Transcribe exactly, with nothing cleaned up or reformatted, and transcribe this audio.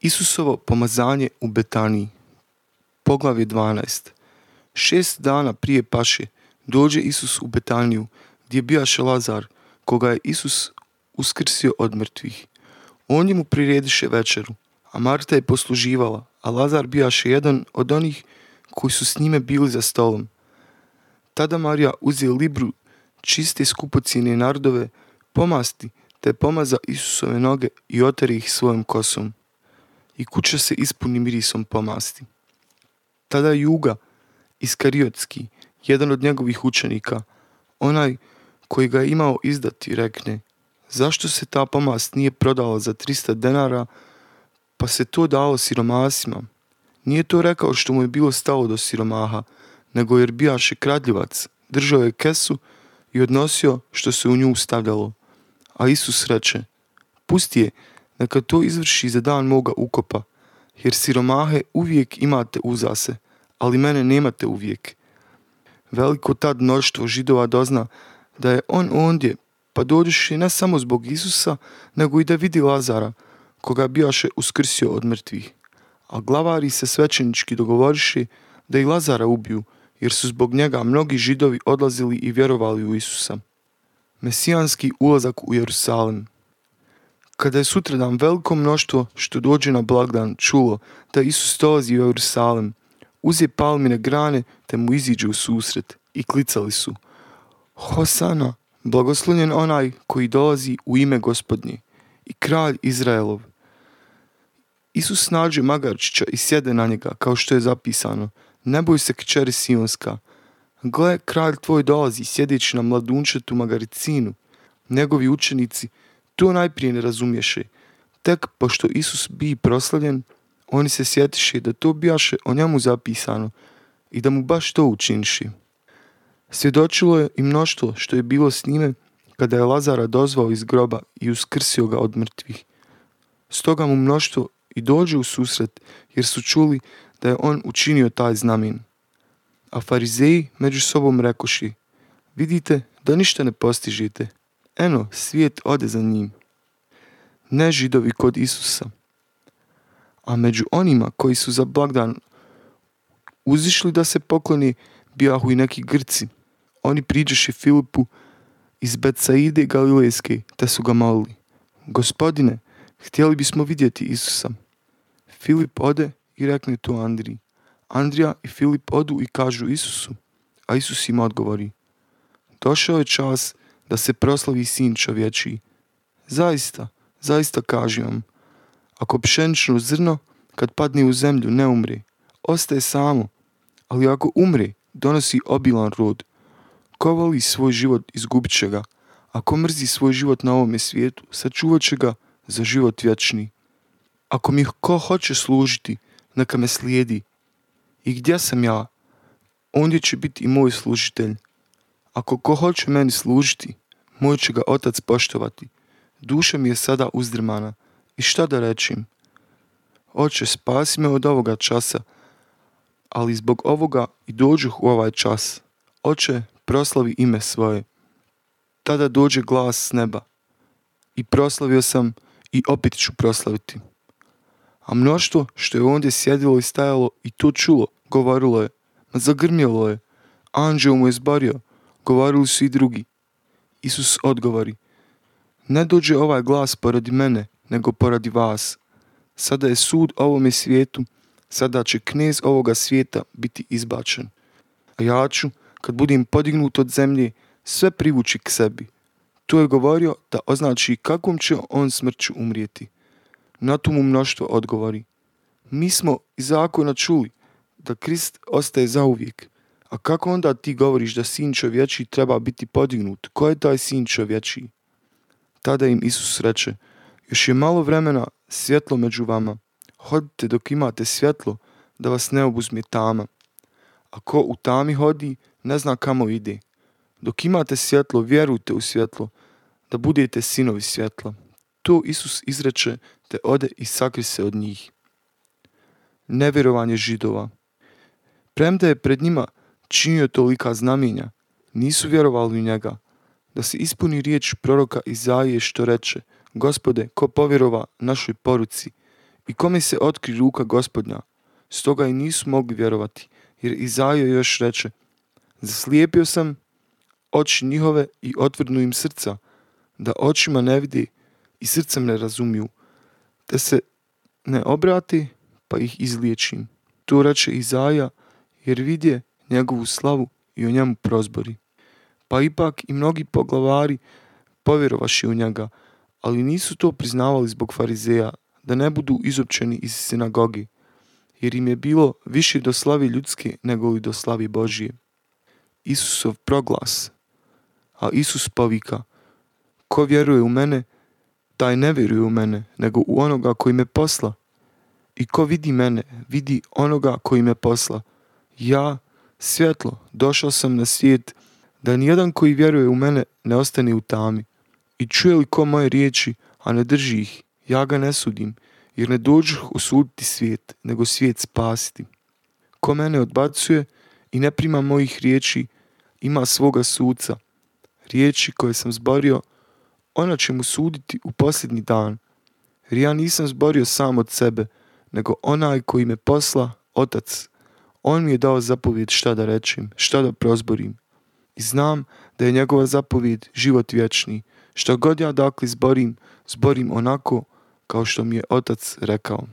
Isusovo pomazanje u Betaniji. Poglavlje dvanaest. Šest dana prije paše dođe Isus u Betaniju, gdje bijaše Lazar, koga je Isus uskrsio od mrtvih. On mu prirediše večeru, a Marta je posluživala, a Lazar bijaše jedan od onih koji su s njime bili za stolom. Tada Marija uzije libru čiste skupocjene nardove, pomasti, te pomaza Isusove noge i oteri ih svojom kosom. I kuća se ispuni mirisom pomasti. Tada Juga Iskariotski, jedan od njegovih učenika, onaj koji ga je imao izdati, rekne: zašto se ta pomast nije prodala za trista denara, pa se to dalo siromasima? Nije to rekao što mu je bilo stalo do siromaha, nego jer bijaše kradljivac, držao je kesu i odnosio što se u nju stavljalo. A Isus reče: pusti je, neka to izvrši za dan moga ukopa, jer siromahe uvijek imate uza se, ali mene nemate uvijek. Veliko tad mnoštvo Židova dozna da je on ondje, pa dođeše ne samo zbog Isusa, nego i da vidi Lazara, koga bijaše uskrsio od mrtvih. A glavari se svećenički dogovoriše da i Lazara ubiju, jer su zbog njega mnogi Židovi odlazili i vjerovali u Isusa. Mesijanski ulazak u Jerusalim. Kada je sutradan veliko mnoštvo što dođe na blagdan čulo da Isus dolazi u Jerusalim, uze palmine grane te mu iziđe u susret i klicali su: Hosana, blagoslovljen onaj koji dolazi u ime Gospodnje i kralj Izraelov. Isus nađe magarčića i sjede na njega, kao što je zapisano: ne boj se, kćeri Sionska. Gle, kralj tvoj dolazi sjedeći na mladunčetu magaricinu. Njegovi učenici to najprije ne razumješe. Tek pošto Isus bi proslavljen, oni se sjetiše da to bijaše o njemu zapisano i da mu baš to učiniše. Svjedočilo je i mnoštvo što je bilo s njime kada je Lazara dozvao iz groba i uskrsio ga od mrtvih. Stoga mu mnoštvo i dođe u susret, jer su čuli da je on učinio taj znamen. A farizeji među sobom rekoši: vidite da ništa ne postižete. Eno, svijet ode za njim. Ne Židovi kod Isusa. A među onima koji su za blagdan uzišli da se pokloni, bijahu i neki Grci. Oni priđeše Filipu iz Betsaide Galilejske, te su ga molili: Gospodine, htjeli bismo vidjeti Isusa. Filip ode i rekne to Andriji. Andrija i Filip odu i kažu Isusu, a Isus im odgovori: došao je čas da se proslavi Sin čovječiji. Zaista, zaista kažem vam, ako pšenično zrno kad padne u zemlju ne umre, ostaje samo, ali ako umre, donosi obilan rod. Ko voli svoj život, izgubit će ga, a ko mrzi svoj život na ovome svijetu, sačuvat će ga za život vječni. Ako mi ko hoće služiti, neka me slijedi. I gdje sam ja, ondje će biti i moj služitelj. Ako ko hoće meni služiti, moj će ga Otac poštovati. Duša mi je sada uzdrmana. I šta da rečim? Oče, spasi me od ovoga časa, ali zbog ovoga i dođuh u ovaj čas. Oče, proslavi ime svoje. Tada dođe glas s neba. I proslavio sam i opet ću proslaviti. A mnoštvo što je ondje sjedilo i stajalo i to čulo, govorilo je: ma zagrmjelo je, anđeo mu je zborio. Govorili su i drugi. Isus odgovori: ne dođe ovaj glas poradi mene, nego poradi vas. Sada je sud ovome svijetu, sada će knez ovoga svijeta biti izbačen. A ja ću, kad budem podignut od zemlje, sve privući k sebi. To je govorio da označi kakvom će on smrću umrijeti. Na to mu mnoštvo odgovori: mi smo iz zakona čuli da Krist ostaje zauvijek. A kako onda ti govoriš da Sin čovječiji treba biti podignut? Ko je taj Sin čovječiji? Tada im Isus reče: još je malo vremena svjetlo među vama. Hodite dok imate svjetlo, da vas ne obuzme tama. A ko u tami hodi, ne zna kamo ide. Dok imate svjetlo, vjerujte u svjetlo, da budete sinovi svjetla. To Isus izreče, te ode i sakri se od njih. Nevjerovanje Židova. Premda je pred njima činio tolika znamenja, nisu vjerovali u njega, da se ispuni riječ proroka Izaije što reče: Gospode, ko povjerova našoj poruci i kome se otkri ruka Gospodnja. Stoga i nisu mogli vjerovati, jer Izaija još reče: zaslijepio sam oči njihove i otvrnu im srca, da očima ne vidi i srcem ne razumiju, te se ne obrati pa ih izliječim. To reče Izaija, jer vidje njegovu slavu i o njemu prozbori. Pa ipak i mnogi poglavari povjerovaši u njega, ali nisu to priznavali zbog farizeja, da ne budu izopćeni iz sinagogi, jer im je bilo više do slavi ljudske nego li do slavi Božije. Isusov proglas. A Isus povika: ko vjeruje u mene, taj ne vjeruje u mene, nego u onoga koji me posla. I ko vidi mene, vidi onoga koji me posla. Ja, svjetlo, došao sam na svijet, da nijedan koji vjeruje u mene ne ostane u tami. I čuje li ko moje riječi, a ne drži ih, ja ga ne sudim, jer ne dođoh osuditi svijet, nego svijet spasiti. Ko mene odbacuje i ne prima mojih riječi, ima svoga suca. Riječi koje sam zborio, ona će mu suditi u posljednji dan. Jer ja nisam zborio sam od sebe, nego onaj koji me posla, Otac. On mi je dao zapovjed šta da rečem, šta da prozborim. I znam da je njegova zapovjed život vječni. Što god ja dakle zborim, zborim onako kao što mi je Otac rekao.